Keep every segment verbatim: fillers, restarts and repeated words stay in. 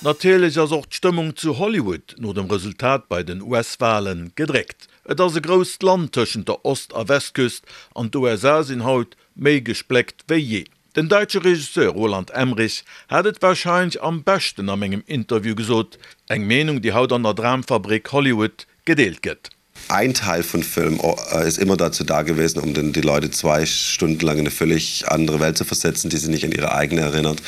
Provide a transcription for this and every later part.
Natierlech ass och d'Stëmmung zu Hollywood no dem Resultat bei den U S-Walen gedréckt. Et ass e grousst Land tëschent der Ost- a Westküst an d'U S A sinn haut méi gespléckt wéi jee. Den däitsche Regisseur Roland Emmerich hat et warscheinlech am beschten a mengem Interview gesot, eng Meenung, déi haut an der Dramfabrik Hollywood gedeelt gëtt. Ein Teil von Film äh, ist immer dazu da gewesen, um den, die Leute zwei Stunden lang in eine völlig andere Welt zu versetzen, die sie nicht an ihre eigene erinnert.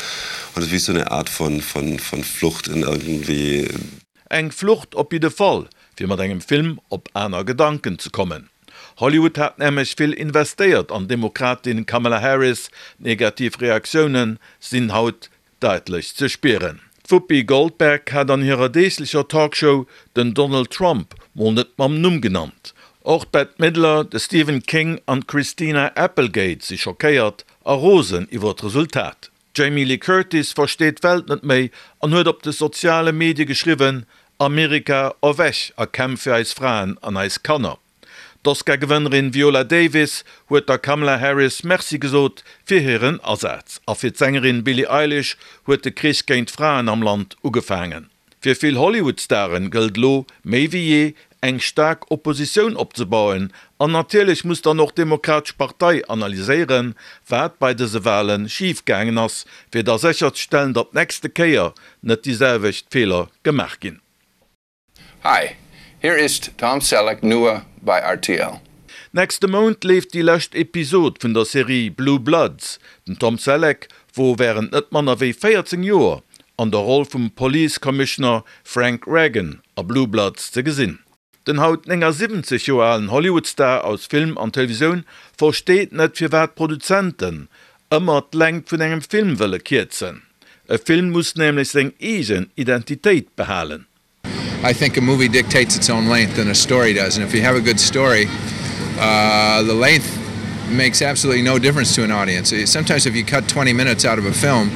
Und es ist wie so eine Art von, von, von Flucht in irgendwie. Eng Flucht op jidde Fall, fir mat engem Film op aner Gedanken ze kommen. Hollywood hat nämlech vill investéiert an d'Demokratin Kamala Harris, negativ Reaktioune sinn haut däitlech ze spieren. Whoopi Goldberg hat an hirer deeglecher Talkshow den Donald Trump mol net mam Numm genannt. Och Bette Midler, de Stephen King an Christina Applegate si schockéiert a rosen iwwer d'Resultat. Jamie Lee Curtis versteet d'Welt net méi an huet op de soziale Medie geschriwwen: Amerika erwäch a kämpf fir eis Fraen an eis Kanner. D'Oscar-Gewënnerin Viola Davis huet der Kamala Harris Merci gesot fir hiren Asaz. A fir d'Sängerin Billie Eilish huet de Krich géint Fraen am Land ugefaangen. Fir vill Hollywood-Staren gëllt lo méi wéi jee eng staark Oppositioun opzebauen an natierlech muss dann och d'Demokratesch Partei analyséieren, wat bei dëse Wale schifgaangen ass, fir da sécherzestellen, datt d'nächste Kéier net déi selwecht Feeler gemaach ginn. Hi, hier ist Tom Selleck nur bei R T L. Nächste Mount leeft déi lescht Episod vun der Serie Blue Bloods. Den Tom Selleck wor wärend net manner wéi véierzéng Joer an der Roll vum Police Commissioner Frank Reagan a Blue Bloods ze gesinn. Den haut néngasiwwenzeg Joer alen Hollywood-Star aus Film an Televisioun versteet net, firwat Produzenten ëmmer d'Längt vun engem Film wëlle kierzen. E Film muss nämlech seng eegen Identitéit behalen. I think a movie dictates its own length than a story does. And if you have a good story, uh, the length makes absolutely no difference to an audience. Sometimes if you cut twenty minutes out of a film,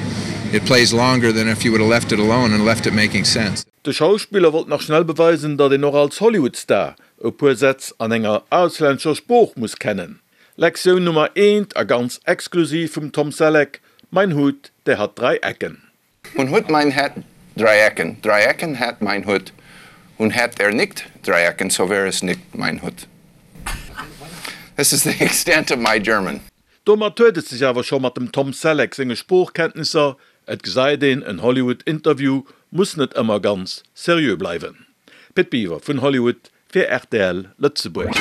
it plays longer than if you would have left it alone and left it making sense. De Schauspiller wollt nach schnell beweisen, datt een och als Hollywood-Star e puer Sätz an enger auslännescher Sprooch muss kennen. Lektioun Nummer eent a ganz exklusiv vum Tom Selleck: Mein Hut, der hat drei Ecken. Und Hut mein hat drei Ecken. Drei Ecken hat mein Hut. Und hat er nicht drei Ecken, so wäre es nicht mein Hut. This is the extent of my German. Domat huet et sech awer scho mat dem Tom Selleck senge Sproochkenntnisser. Et gesäit een, en Hollywood-Interview muss net ëmmer ganz seriö bleiwen. Pit Biwer vun Hollywood fir R T L Lëtzebuerg.